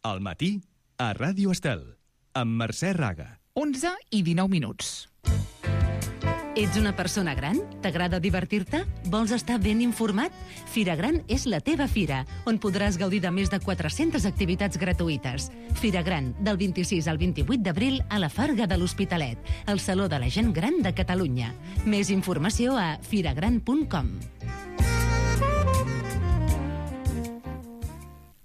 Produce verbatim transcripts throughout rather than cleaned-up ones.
Al matí, a Ràdio Estel, amb Mercè Raga. onze i dinou minuts. Ets una persona gran? T'agrada divertir-te? Vols estar ben informat? Fira Gran és la teva fira, on podràs gaudir de més de quatre-centes activitats gratuïtes. Fira Gran, del vint-i-sis al vint-i-vuit d'abril a la Farga de l'Hospitalet, el Saló de la Gent Gran de Catalunya. Més informació a firagran punt com.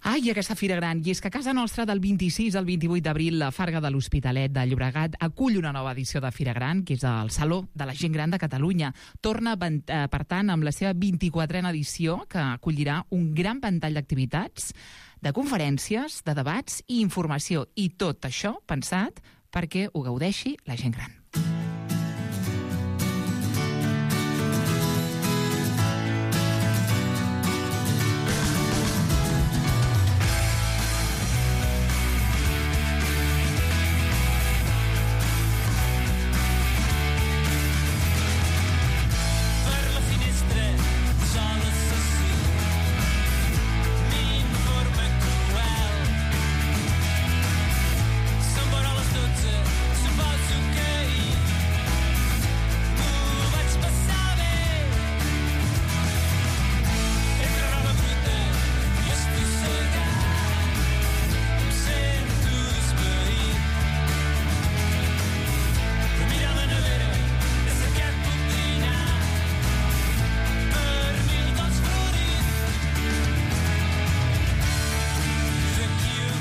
Ai, aquesta Fira Gran. I és que a casa nostra del vint-i-sis al vint-i-vuit d'abril la Farga de l'Hospitalet de Llobregat acull una nova edició de Fira Gran, que és el Saló de la Gent Gran de Catalunya. Torna, per tant, amb la seva vint-i-quatrena edició, que acollirà un gran ventall d'activitats, de conferències, de debats i informació. I tot això pensat perquè ho gaudeixi la gent gran.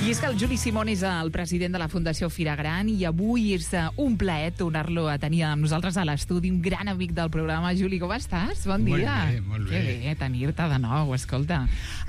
I és que el Juli Simón és el president de la Fundació Fira Gran i avui és un plaer tornar-lo a tenir amb nosaltres a l'estudi, un gran amic del programa. Juli, com estàs? Bon dia. Molt bé, molt bé. Que bé tenir-te de nou, escolta.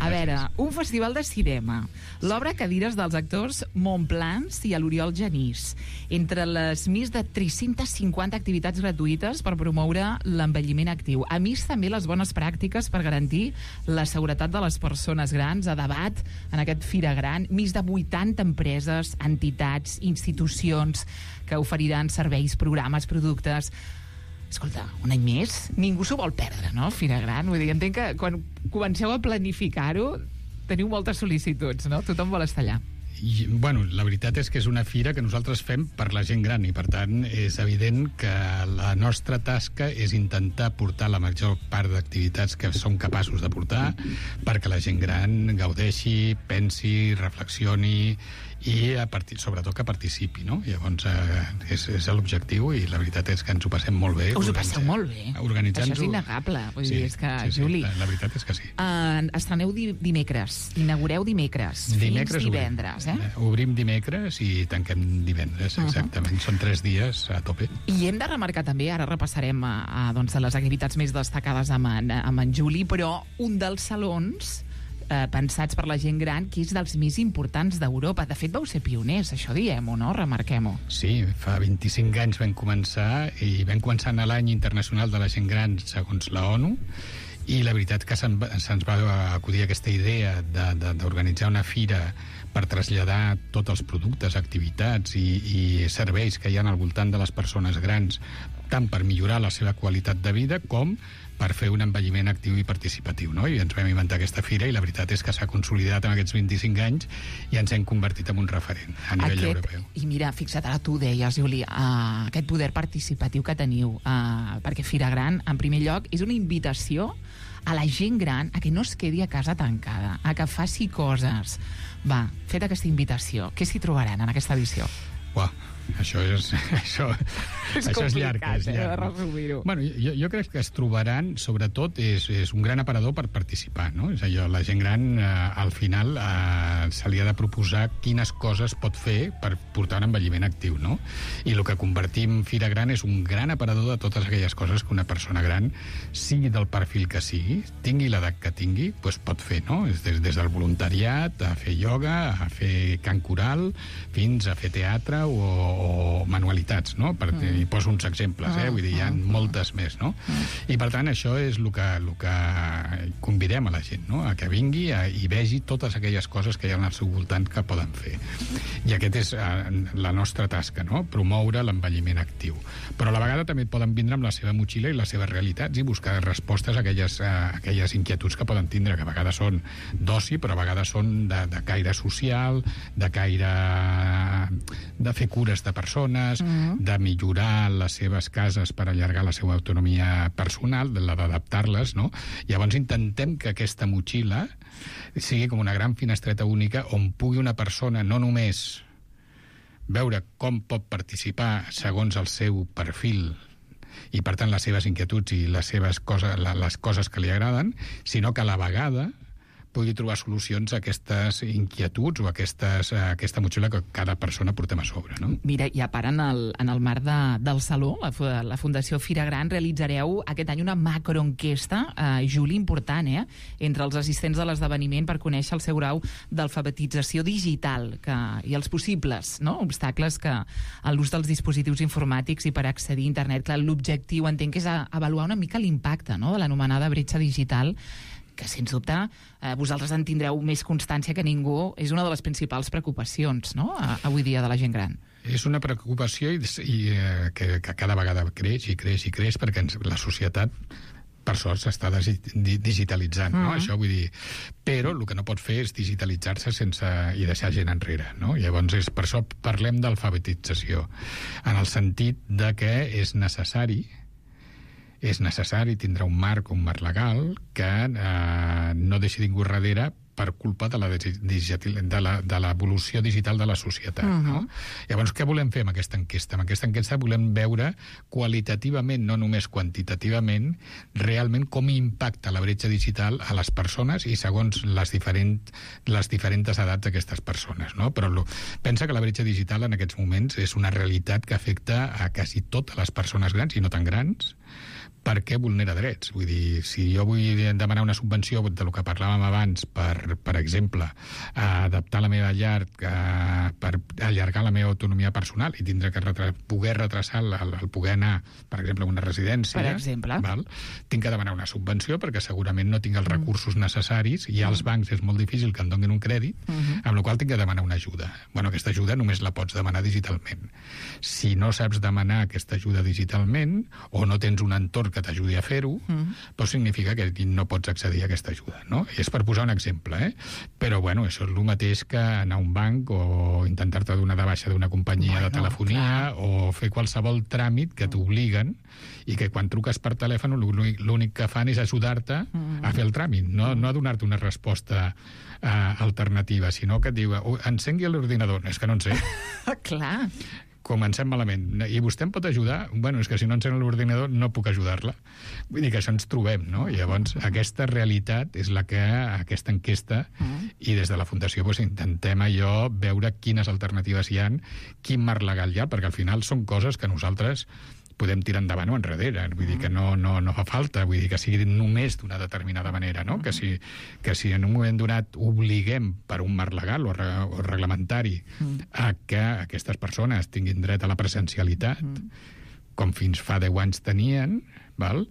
A veure, un festival de cinema, l'obra Cadires dels actors Montplans i a l'Oriol Genís, entre les més de tres-centes cinquanta activitats gratuïtes per promoure l'envelliment actiu. A més, també les bones pràctiques per garantir la seguretat de les persones grans, a debat en aquest Fira Gran, més de vuitanta empreses, entitats, institucions que oferiran serveis, programes, productes. Escolta, un any més, ningú s'ho vol perdre, no, Fira Gran? Vull dir, entenc que quan comenceu a planificar-ho teniu moltes sol·licituds, no? Tothom vol estar allà. I, bueno, la veritat és que és una fira que nosaltres fem per la gent gran i per tant és evident que la nostra tasca és intentar portar la major part d'activitats que som capaços de portar perquè la gent gran gaudeixi, pensi, reflexioni i a partir, sobretot que participi, no? Llavors eh, és, és l'objectiu i la veritat és que ens ho passem molt bé. Us ho passeu molt bé. Organitzant-ho. Això és innegable. Vull sí, dir, és que, sí, sí, Juli... La, la veritat és que sí. Uh, estreneu di dimecres, inaugureu dimecres, dimecres fins divendres, eh? Obrim, obrim dimecres i tanquem divendres, exactament. Uh -huh. Són tres dies a tope. I hem de remarcar també, ara repassarem a, a, doncs, les activitats més destacades amb en, amb en Juli, però un dels salons Eh, pensats per la gent gran, que és dels més importants d'Europa. De fet, vau ser pioners, això diem-ho, no? Remarquem-ho. Sí, fa vint-i-cinc anys vam començar i vam començar en l'any internacional de la gent gran segons la ONU i la veritat que se'ns se va acudir aquesta idea d'organitzar una fira per traslladar tots els productes, activitats i, i serveis que hi ha al voltant de les persones grans, tant per millorar la seva qualitat de vida com per fer un envelliment actiu i participatiu, no? I ens vam inventar aquesta fira i la veritat és que s'ha consolidat en aquests vint-i-cinc anys i ens hem convertit en un referent a nivell aquest, europeu. I mira, fixa't, ara tu deies, Juli, uh, aquest poder participatiu que teniu, uh, perquè Fira Gran, en primer lloc, és una invitació a la gent gran a que no es quedi a casa tancada, a que faci coses. Va, fet aquesta invitació, què s'hi trobaran en aquesta edició? Uah, això és això, és això és llarg, és llarg. Eh, de resumir-ho. Bueno, jo, jo crec que es trobaran, sobretot, és, és un gran aparador per participar, no? És allò, la gent gran, eh, al final, eh, se li ha de proposar quines coses pot fer per portar un envelliment actiu, no? I el que convertim Fira Gran és un gran aparador de totes aquelles coses que una persona gran, sigui del perfil que sigui, tingui l'edat que tingui, doncs pot fer, no? Des, des del voluntariat, a fer ioga, a fer cant coral, fins a fer teatre o o manualitats, no? Per, mm. I poso uns exemples, eh? Vull dir, hi ha moltes més, no? Mm. I per tant, això és el que, el que convidem a la gent, no? A que vingui a, i vegi totes aquelles coses que hi ha al seu voltant que poden fer. I aquest és uh, la nostra tasca, no? Promoure l'envelliment actiu. Però a la vegada també poden vindre amb la seva motxilla i les seves realitats i buscar respostes a aquelles, uh, aquelles inquietuds que poden tindre, que a vegades són d'oci, però a vegades són de, de caire social, de caire de fer cures de persones, mm-hmm. de millorar les seves cases per allargar la seva autonomia personal, de la d'adaptar-les, no? Llavors intentem que aquesta motxilla sigui com una gran finestreta única on pugui una persona no només veure com pot participar segons el seu perfil i, per tant, les seves inquietuds i les seves coses, les coses que li agraden, sinó que a la vegada pugui trobar solucions a aquestes inquietuds o a, aquestes, a aquesta motxilla que cada persona portem a sobre, no? Mira, i a part, en el, en el marc de, del Saló, la, la Fundació Fira Gran, realitzareu aquest any una macroenquesta, eh, Juli, important, eh?, entre els assistents de l'esdeveniment per conèixer el seu grau d'alfabetització digital que, i els possibles, no?, obstacles que a l'ús dels dispositius informàtics i per accedir a internet. Clar, l'objectiu, entenc, és a, avaluar una mica l'impacte, no?, de l'anomenada bretxa digital, que, sens dubte, eh, vosaltres en tindreu més constància que ningú. És una de les principals preocupacions, no?, avui dia de la gent gran. És una preocupació i, i eh, que, que cada vegada creix i creix i creix perquè ens, la societat, per sort, s'està digitalitzant, no? Mm. Això vull dir... Però el que no pot fer és digitalitzar-se sense i deixar gent enrere, no? Llavors, és, per això parlem d'alfabetització, en el sentit de que és necessari és necessari tindre un marc, un marc legal, que eh, no deixi ningú darrere per culpa de la de la, de l'evolució digital de la societat. Uh-huh. No? Llavors, què volem fer amb aquesta enquesta? Amb aquesta enquesta volem veure qualitativament, no només quantitativament, realment com impacta la bretxa digital a les persones i segons les, diferent, les diferents edats d'aquestes persones. No? Però lo, pensa que la bretxa digital en aquests moments és una realitat que afecta a quasi totes les persones grans i no tan grans, perquè vulnera drets. Vull dir, si jo vull demanar una subvenció de lo que parlàvem abans per, per exemple, adaptar la meva llar per allargar la meva autonomia personal i tindre que retra poder retrasar el, el poder anar, per exemple, a una residència, per exemple, val? Tinc que demanar una subvenció perquè segurament no tinc els recursos necessaris i als bancs és molt difícil que em donin un crèdit, uh-huh. amb la qual tinc que demanar una ajuda. Bueno, aquesta ajuda només la pots demanar digitalment. Si no saps demanar aquesta ajuda digitalment o no tens un entorn que t'ajudi a fer-ho, mm. doncs significa que no pots accedir a aquesta ajuda, no? I és per posar un exemple, eh? Però, bueno, això és el mateix que anar a un banc o intentar-te donar de baixa d'una companyia bueno, de telefonia clar. O fer qualsevol tràmit que t'obliguen i que quan truques per telèfon l'únic que fan és ajudar-te mm. a fer el tràmit, no, no a donar-te una resposta uh, alternativa, sinó que et diu, encengui l'ordinador. És que no en sé. Clar. Comencem malament. I vostè em pot ajudar? Bueno, és que si no encén l'ordinador no puc ajudar-la. Vull dir que això ens trobem, no? I llavors aquesta realitat és la que aquesta enquesta mm. i des de la Fundació doncs, intentem allò veure quines alternatives hi ha, quin marc legal hi ha, perquè al final són coses que nosaltres podem tirar endavant o enrere. Vull dir que no, no, no fa falta, vull dir que sigui només d'una determinada manera, no? Que si, que si en un moment donat obliguem per un marc legal o, re, o reglamentari a que aquestes persones tinguin dret a la presencialitat, com fins fa deu anys tenien, val?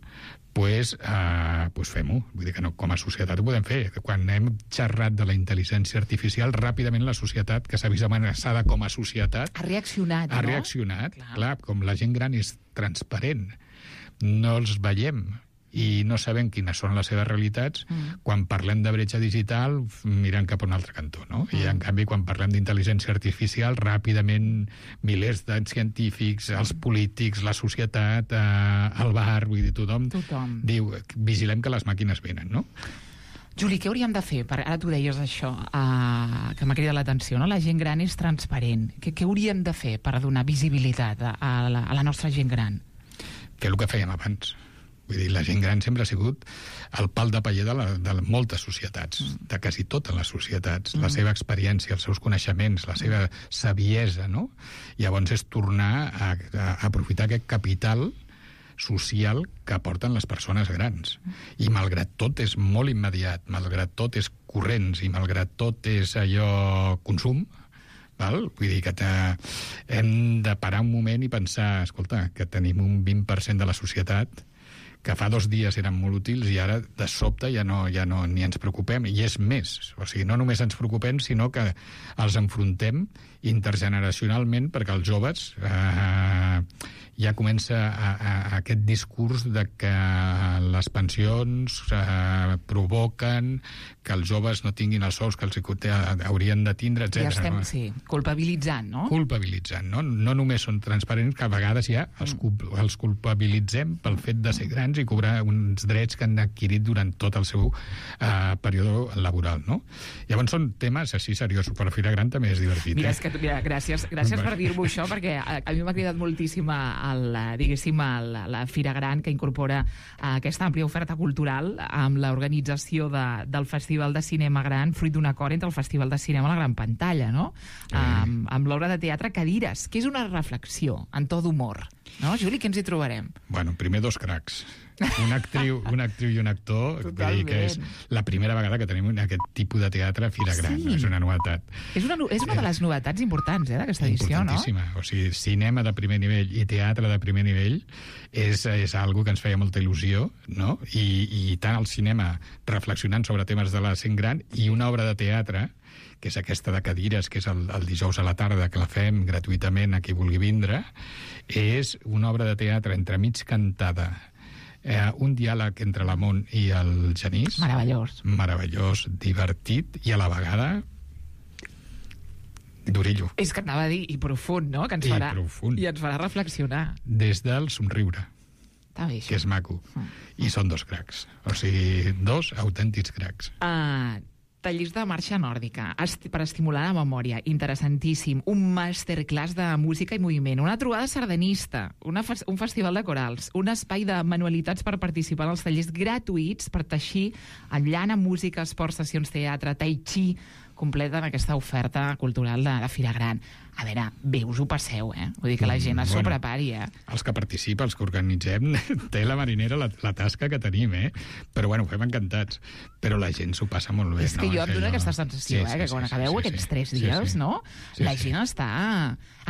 Pues, uh, pues fem-ho. Vull dir que no, com a societat ho podem fer. Quan hem xerrat de la intel·ligència artificial, ràpidament la societat, que s'ha vist amenaçada com a societat... Ha reaccionat, ha no? Ha reaccionat, clar. clar. Com la gent gran és transparent, no els veiem i no sabem quines són les seves realitats, mm. quan parlem de bretxa digital mirant cap a un altre cantó, no? Mm. I en canvi quan parlem d'intel·ligència artificial ràpidament milers de científics, els polítics, la societat, eh, el bar, vull dir, tothom, tothom diu, vigilem que les màquines venen, no? Juli, què hauríem de fer? Per, ara tu deies això, uh, que m'ha cridat l'atenció, no? La gent gran és transparent. Què, què hauríem de fer per donar visibilitat a, a, la, a la nostra gent gran? Fer el que fèiem abans. Vull dir, la gent gran sempre ha sigut el pal de paller de, la, de moltes societats, mm. de quasi totes les societats, mm. la seva experiència, els seus coneixements, la seva saviesa, no? Llavors és tornar a, a aprofitar aquest capital social que aporten les persones grans. I malgrat tot és molt immediat, malgrat tot és corrents i malgrat tot és allò consum, val? Vull dir que hem de parar un moment i pensar, escolta, que tenim un vint per cent de la societat que fa dos dies eren molt útils i ara, de sobte, ja no, ja no ni ens preocupem. I és més. O sigui, no només ens preocupem, sinó que els enfrontem intergeneracionalment, perquè els joves eh, ja comença a, a, a aquest discurs de que les pensions eh, provoquen que els joves no tinguin els sous que els haurien de tindre, etcètera. Ja estem, no? sí, culpabilitzant, no? Culpabilitzant, no? No només són transparents, que a vegades ja els, culp els culpabilitzem pel fet de ser grans i cobrar uns drets que han adquirit durant tot el seu eh, període laboral, no? Llavors són temes així seriosos, però Fira Gran també és divertit. Mira, eh? és que, mira gràcies, gràcies per dir-m'ho això, perquè a, a mi m'ha cridat moltíssim el, diguéssim, el, la Fira Gran, que incorpora uh, aquesta àmplia oferta cultural amb l'organització de, del Festival de Cinema Gran, fruit d'un acord entre el Festival de Cinema a la gran pantalla, no? Mm. Um, amb l'obra de teatre Cadires, que és una reflexió en to d'humor. No, Juli, què ens hi trobarem? Bueno, primer dos cracs. Una actriu, una actriu i un actor, Totalment. que és la primera vegada que tenim aquest tipus de teatre a Fira Gran. Sí. És una novetat. És una, és una de les novetats importants, eh, d'aquesta edició, no? Importantíssima. O sigui, cinema de primer nivell i teatre de primer nivell és, és algo que ens feia molta il·lusió, no? I, i tant el cinema reflexionant sobre temes de la gent gran i una obra de teatre que és aquesta de Cadires, que és el, el dijous a la tarda, que la fem gratuïtament a qui vulgui vindre, és una obra de teatre entremig cantada, eh, un diàleg entre la Mont i el Genís. Meravellós. Meravellós, divertit i a la vegada d'orillo. És que anava a dir, i profund, no? Que ens I farà, profund. I ens farà reflexionar. Des del somriure, Està bé, això. que és maco. I són dos cracs. O sigui, dos autèntics cracs. Uh, tallers de marxa nòrdica esti per estimular la memòria, interessantíssim. Un masterclass de música i moviment, una trobada sardanista, una fe un festival de corals, un espai de manualitats per participar en els tallers gratuïts per teixir en llana, música, esport, sessions teatre, tai chi, completen aquesta oferta cultural de, de Fira Gran. A veure, bé, us ho passeu, eh? Vull dir que la gent es Bueno, prepari, eh? Els que participen, els que organitzem, té la marinera la, la tasca que tenim, eh? Però, bueno, ho fem encantats. Però la gent s'ho passa molt bé, És que no? jo em dóna aquesta sensació, Sí, eh? sí, Que quan sí, acabeu sí, aquests sí. tres Sí, dies, sí. no? Sí, La sí. gent està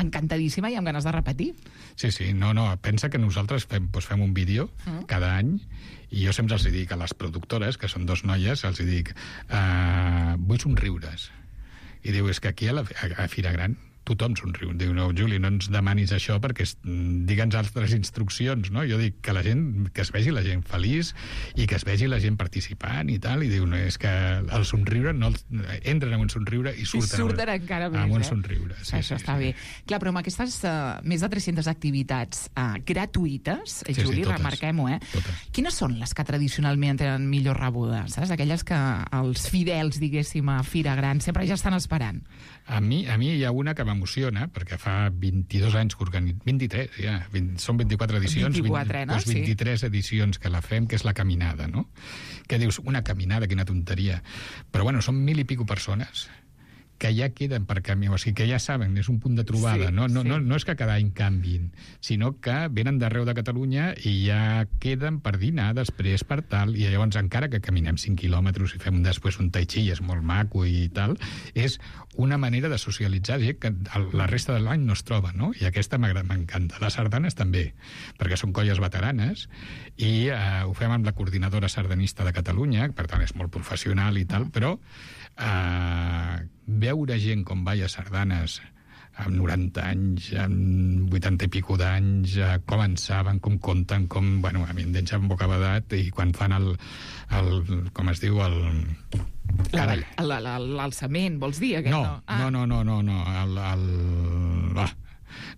encantadíssima i amb ganes de repetir. Sí, sí, no, no, pensa que nosaltres fem, doncs fem un vídeo Mm. cada any i jo sempre els dic a les productores, que són dos noies, els dic, uh, vull somriures. I diu, és que aquí a, la, a, a Fira Gran tothom somriu. Diu, no, Juli, no ens demanis això perquè es, digue'ns altres instruccions, no? Jo dic que la gent, que es vegi la gent feliç i que es vegi la gent participant i tal, i diu, no, és que el somriure, no, entren amb un somriure i surten, I surten amb, encara més, amb un eh? somriure. Sí, Això sí, està sí. bé. Clar, però amb aquestes uh, més de tres-centes activitats uh, gratuïtes, eh, Sí, sí, Juli, totes. remarquem-ho, eh? Totes. Quines són les que tradicionalment tenen millor rebuda? Saps? Aquelles que els fidels, diguéssim, a Fira Gran sempre ja estan esperant. A mi, a mi hi ha una que m'emociona, perquè fa vint-i-dos anys que organitzem... vint-i-tres, ja. vint, són vint-i-quatre edicions. vint-i-quatre, no? Doncs vint-i-tres edicions que la fem, que és la caminada, no? Que dius, una caminada, quina tonteria. Però, bueno, són mil i pico persones que ja queden per camí, o sigui, que ja saben, és un punt de trobada, Sí, no, no, sí. no, no és que cada any canvin, sinó que venen d'arreu de Catalunya i ja queden per dinar després per tal, i llavors encara que caminem cinc quilòmetres i fem després un tai chi, és molt maco i tal, és una manera de socialitzar gent que la resta de l'any no es troba, no? I aquesta m'encanta. Les sardanes també, perquè són colles veteranes, i eh, ho fem amb la coordinadora sardanista de Catalunya, per tant és molt professional i tal, però eh, veure gent com balla sardanes amb noranta anys, amb vuitanta i pico d'anys, eh, com en saben, com compten, com... Bueno, a mi em deixa amb bocabadat, i quan fan el, el... com es diu, el... Carai. L'alçament, vols dir? Aquest, No, no, ah. no, no, no, no, no, el... el... Ah,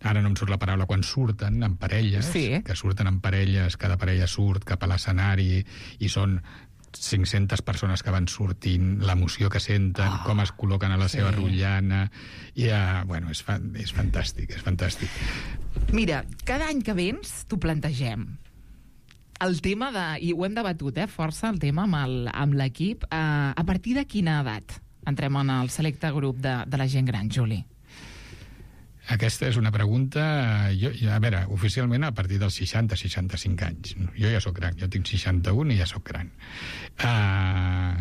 ara no em surt la paraula, quan surten en parelles, Sí. que surten en parelles, cada parella surt cap a l'escenari i són cinc-centes persones que van sortint, l'emoció que senten, Oh, com es col·loquen a la sí. seva rotllana, i, uh, bueno, és, fa, és fantàstic, és fantàstic. Mira, cada any que vens t'ho plantegem. El tema de... I ho hem debatut, eh, força, el tema amb l'equip. Uh, a partir de quina edat entrem en el selecte grup de, de la gent gran, Juli? Aquesta és una pregunta... Jo, a veure, oficialment a partir dels seixanta seixanta-cinc anys. Jo ja sóc gran, jo tinc seixanta-un i ja sóc gran. Uh,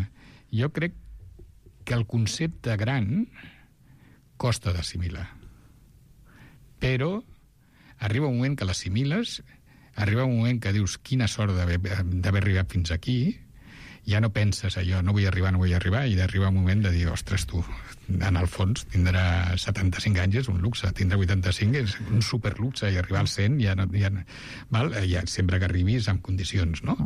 jo crec que el concepte gran costa d'assimilar. però arriba un moment que l'assimiles, arriba un moment que dius quina sort d'haver d'haver arribat fins aquí, ja no penses allò, no vull arribar, no vull arribar, i d'arribar un moment de dir, ostres, tu, en el fons, tindrà setanta-cinc anys és un luxe, tindrà vuitanta-cinc és un superluxe, i arribar als cent ja no... Ja, val? Ja, sempre que arribis en condicions, no?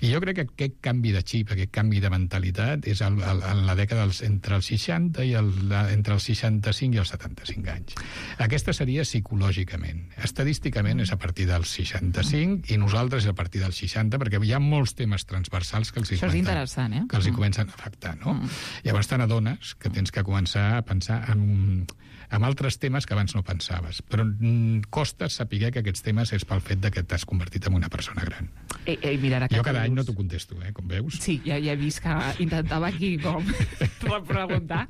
I jo crec que aquest canvi de xip, aquest canvi de mentalitat, és el, el, en la dècada dels, entre els seixanta i el, entre els seixanta-cinc i els setanta-cinc anys. Aquesta seria psicològicament. Estadísticament és a partir dels seixanta-cinc i nosaltres és a partir dels seixanta, perquè hi ha molts temes transversals que els hi Això és interessant, eh? que els hi comencen a afectar, no? Mm. Llavors te n'adones que tens que començar a pensar en, en altres temes que abans no pensaves. Però mm, costa saber que aquests temes és pel fet de que t'has convertit en una persona gran. Ei, ei, mira, jo cada any no t'ho contesto, eh, com veus. Sí, ja, ja he vist que intentava aquí com preguntar,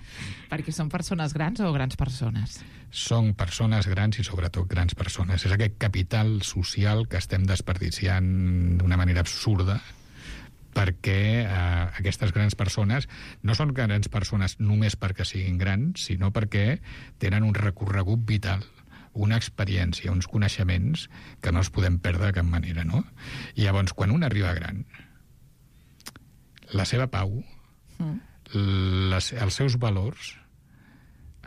perquè són persones grans o grans persones? Són persones grans i sobretot grans persones. És aquest capital social que estem desperdiciant d'una manera absurda, perquè eh, aquestes grans persones no són grans persones només perquè siguin grans, sinó perquè tenen un recorregut vital, una experiència, uns coneixements que no els podem perdre de cap manera, no? I llavors, quan un arriba gran, la seva pau, mm. les, els seus valors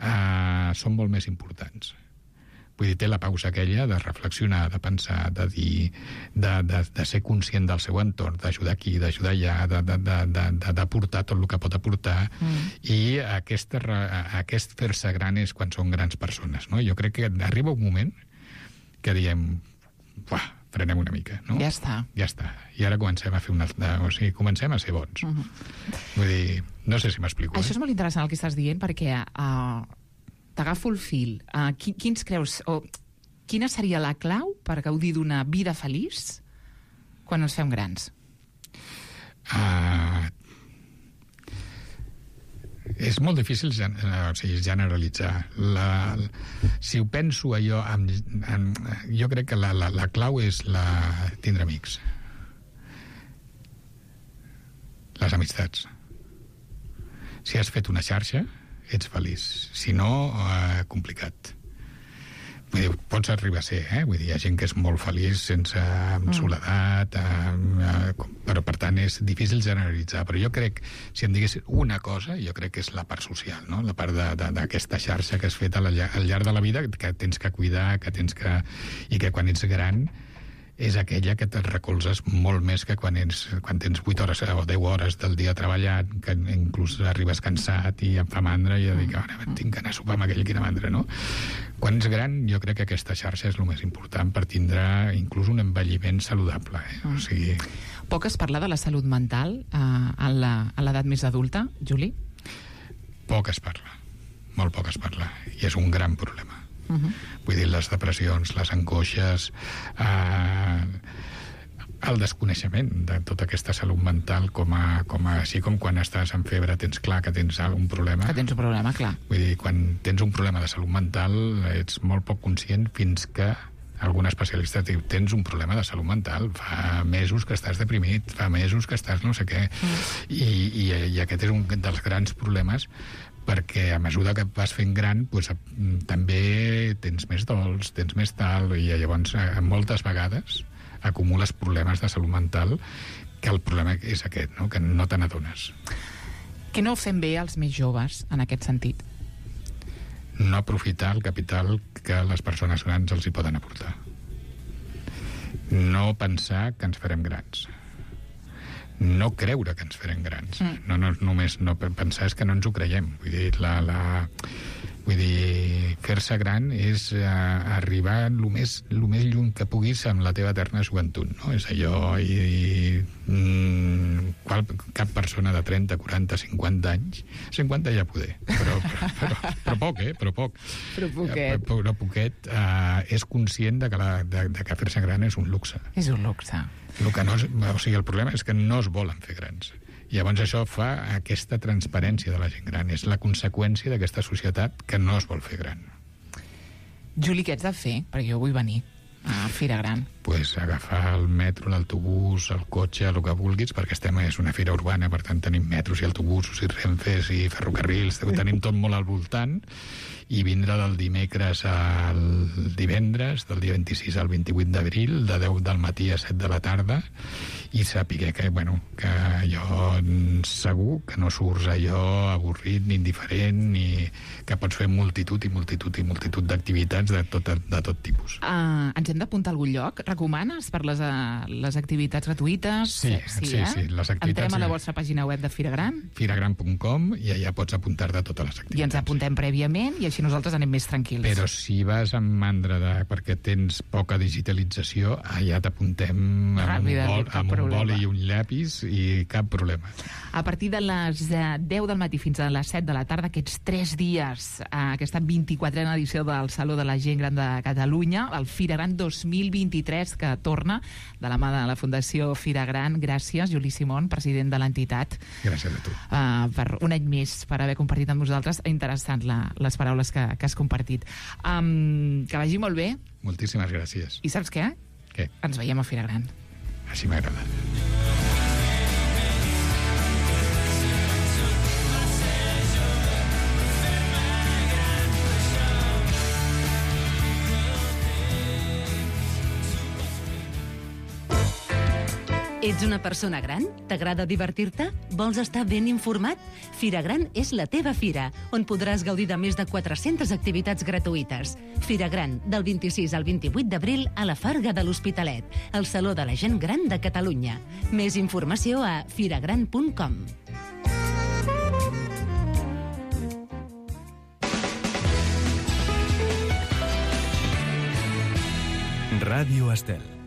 eh, són molt més importants. Vull dir, té la pausa aquella de reflexionar, de pensar, de dir, de, de, de ser conscient del seu entorn, d'ajudar aquí, d'ajudar allà, de, de, de, de, de, d'aportar tot el que pot aportar, mm. i aquesta, aquest fer-se gran és quan són grans persones, no? Jo crec que arriba un moment que diem, uah, frenem una mica, no? Ja està. Ja està. I ara comencem a fer una... O sigui, comencem a ser bons. Uh -huh. Vull dir, no sé si m'explico. Això eh? és molt interessant el que estàs dient, perquè... Uh... T'agafo el fil. Uh, qui, quins creus, o quina seria la clau per gaudir d'una vida feliç quan ens fem grans? Uh, és molt difícil gen, o sigui, generalitzar. La, si ho penso allò, amb, amb, jo crec que la, la, la clau és la, tindre amics. Les amistats. Si has fet una xarxa, ets feliç. Si no, eh, complicat. Vull dir, pots arribar a ser, eh? Vull dir, hi ha gent que és molt feliç sense mm. soledat, eh, eh, però per tant és difícil generalitzar. Però jo crec, si em digués una cosa, jo crec que és la part social, no? La part d'aquesta xarxa que has fet al, al llarg de la vida, que tens que cuidar, que tens que... i que quan ets gran és aquella que te'n recolzes molt més que quan, ets, quan tens vuit hores o deu hores del dia treballant, que inclús arribes cansat i em fa mandra i ja dic, ara tinc que anar a sopar amb aquell, quina mandra, no? Quan ets gran, jo crec que aquesta xarxa és el més important per tindre inclús un envelliment saludable, eh? O sigui... Poc es parla de la salut mental eh, a l'edat més adulta, Juli? Poc es parla, molt poc es parla, i és un gran problema. Uh-huh. Vull dir, les depressions, les angoixes, eh, el desconeixement de tota aquesta salut mental, com a, com a, així com quan estàs en febre tens clar que tens algun problema. Que tens un problema, clar. Vull dir, quan tens un problema de salut mental ets molt poc conscient fins que algun especialista diu, tens un problema de salut mental, fa mesos que estàs deprimit, fa mesos que estàs no sé què, mm. I, i, i aquest és un dels grans problemes, perquè a mesura que vas fent gran doncs, també tens més dols, tens més tal, i llavors moltes vegades acumules problemes de salut mental, que el problema és aquest, no? Que no te n'adones. Què no fem bé els més joves en aquest sentit? No aprofitar el capital que les persones grans els hi poden aportar. No pensar que ens farem grans. No creure que ens farem grans. Mm. No, no, només no pensar és que no ens ho creiem. Vull dir, la, la, vull dir fer-se gran és uh, arribar el més, el més lluny que puguis amb la teva eterna joventut, no? És allò... I, i, mm, qual, cap persona de trenta, quaranta, cinquanta anys, cinquanta ja poder, però, però, però, però poc, eh? Però poc. Però poquet. Però, però poquet uh, és conscient de que, la, de, de que fer-se gran és un luxe. És un luxe. El que no és, o sigui, el problema és que no es volen fer grans. I llavors això fa aquesta transparència de la gent gran. És la conseqüència d'aquesta societat que no es vol fer gran. Juli, què ets de fer? Perquè jo vull venir a Fira Gran. pues, agafar el metro, l'autobús, el cotxe, el que vulguis, perquè estem, és una fira urbana, per tant tenim metros i autobusos i renfes i ferrocarrils, ho tenim tot molt al voltant, i vindre del dimecres al divendres, del dia vint-i-sis al vint-i-vuit d'abril, de deu del matí a set de la tarda, i saber que, bueno, que allò segur que no surts allò avorrit ni indiferent, ni que pots fer multitud i multitud i multitud d'activitats de tot, de tot tipus. Uh, ens hem d'apuntar a algun lloc? Recomanes per les, uh, les activitats gratuïtes? Sí, sí, sí, eh? sí, les activitats... Entrem a la vostra pàgina web de Fira Gran? firagran punt com, i allà pots apuntar-te a totes les activitats. I ens apuntem prèviament i així nosaltres anem més tranquils. Però si vas amb mandra de, perquè tens poca digitalització, allà t'apuntem amb, un, bol, amb un boli i un llapis i cap problema. A partir de les deu del matí fins a les set de la tarda, aquests tres dies, aquesta vint-i-quatrena edició del Saló de la Gent Gran de Catalunya, el Fira Gran dos mil vint-i-tres, que torna de la mà de la Fundació Fira Gran. Gràcies, Juli Simón, president de l'entitat. Gràcies a tu. Uh, per un any més, per haver compartit amb nosaltres. Interessant la, les paraules que, que has compartit. Um, que vagi molt bé. Moltíssimes gràcies. I saps què? Què? Ens veiem a Fira Gran. Així m'agrada. Ets una persona gran? T'agrada divertir-te? Vols estar ben informat? Fira Gran és la teva fira, on podràs gaudir de més de quatre-centes activitats gratuïtes. Fira Gran, del vint-i-sis al vint-i-vuit d'abril a la Farga de l'Hospitalet, el Saló de la Gent Gran de Catalunya. Més informació a firagran punt com. Ràdio Estel.